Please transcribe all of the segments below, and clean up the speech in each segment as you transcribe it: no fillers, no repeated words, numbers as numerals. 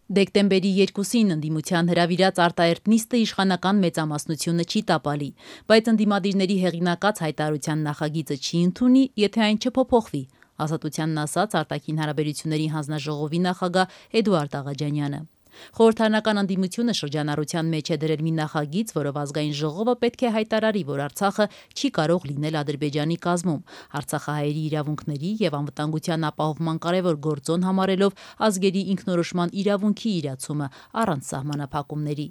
Դեկտեմբերի 2-ին ընդդիմության հրավիրած արտահերթ նիստը իշխանական մեծամասնությունը չի տապալի, բայց ընդդիմադիրների հեղինակած հայտարարության նախագիծը չի ընդունի, եթե այն չփոփոխվի, Ազատությանն ասաց արտաքին հարաբերությունների հանձնաժողովի նախագահ Էդուարդ Աղաջանյանը։ Խորհրդարանական ընդդիմությունը շրջանառության մեջ է դրել մի նախագիծ, որով ազգային ժողովը պետք է հայտարարի, որ Արցախը չի կարող լինել Ադրբեջանի կազմում, արցախահայերի իրավունքների եւ անվտանգության ապահովման կարևոր գործոն համարելով ազգերի ինքնորոշման իրավունքի իրացումը առանց սահմանափակումների։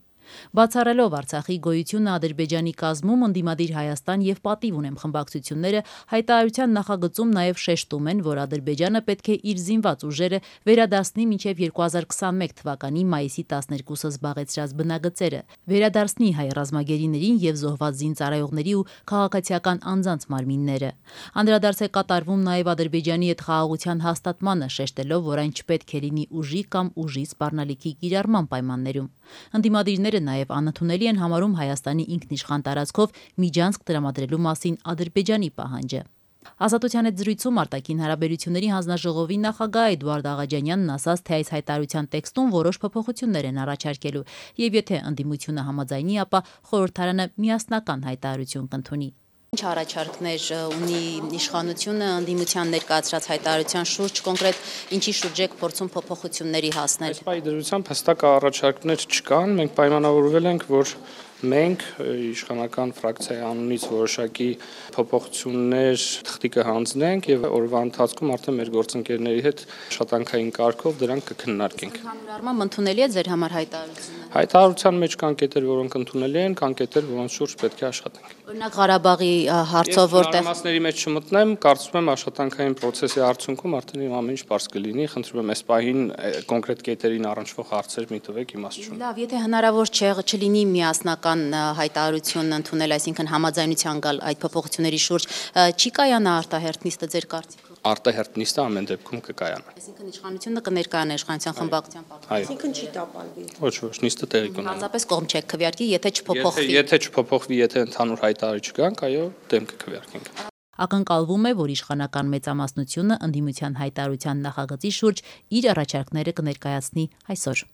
Բացառելով Արցախի գոյությունը Ադրբեջանի կազմում, ընդդիմադիր Հայաստան եւ Պատիվ ունեմ խմբակցությունները հայտարարության նախագծում նաեւ շեշտում են, որ Ադրբեջանը պետք է իր զինված ուժերը վերադարձնի մինչեւ 2021 թվականի մայիսի 12-ը զբաղեցրած բնագծերը, վերադարձնի հայ ռազմագերիներին եւ զոհված զինծառայողների ու քաղաքացիական անձանց մարմինները։ Անդրադարձ է կատարվում նաեւ Ադրբեջանի հետ խաղաղության հաստատմանը, շեշտելով, որ այն չպետք է լինի ուժի կամ ուժի սպառնալիքի կիրառման պայմաններում։ Ընդդիմադիրները նաև անընդունելի են համարում Հայաստանի ինքնիշխան տարածքով միջանցք տրամադրելու մասին Ադրբեջանի պահանջը։ Ազատության հետ զրույցում արտաքին հարաբերությունների հանձնաժողովի նախագահ Էդուարդ Աղաջանյանն ասաց, թե այս հայտարարության տեքստում որոշ փոփոխություններ են առաջարկելու, եւ եթե ընդդիմությունը համաձայնի, ապա խորհրդարանը միասնական հայտարարություն կընդունի։ Ինչ առաջարկներ ունի իշխանությունը ընդդիմության ներկայացրած հայտարարության շուրջ, կոնկրետ ինչի շուրջ եք փորձում փոփոխությունների հասնել։ Այս պայմանավորությամբ հստակ առաջարկներ չկան, մենք պայմանավորվել ենք, որ մենք իշխանական ֆրակցիայի անունից որոշակի փոփոխություններ թղթի կհանձնենք եւ օրվա ընթացքում արդեն մեր գործընկերների հետ աշխատանքային կարգով դրանք կքննարկենք։ Ընդհանուր առմամբ ընդունելի է ձեր համար հայտարարությունը։ Հայտարարության մեջ կան կետեր, որոնք ընդունելի են, կան կետեր, որոնց շուրջ պետք է աշխատենք։ Օրինակ Ղարաբաղի հարցով որտեղ մանրամասների մեջ չմտնեմ, կարծում եմ աշխատանքային process-ի արդյունքում արդեն ամեն ինչ բարձ կլինի, խնդրում եմ այս պահին կոնկրետ կետերին առնչվող հարցեր մի տվեք, իմաստ չունի։ Լավ, եթե հնարավոր չլինի միասնական հայտարարություն ընդունել, այսինքն համաձայնության գալ այդ փոփոխությունների շուրջ, չի կայանա արտահերթ նիստը ձեր կարծիքով։ Արտահերթ նիստը ամեն դեպքում կկայանա։ Այսինքն իշխանությունը կներկայանա իշխանության խմբակցության պատգամավորը։ Այսինքն չի տապալվի։ Ոչ, նիստը տեղի կունենա։ Հազապես կողմ չեք քվեարկի, եթե չփոփոխվի։ Եթե չփոփոխվի, եթե ընդհանուր հայտարարիչ չգանք, այո, դեմ կքվեարկենք։ Ակնկալվում է, որ իշխանական մեծամասնությունը ընդդիմության հայտարարության նախագծի շուրջ իր առաջարկները կներկայացնի այսօր։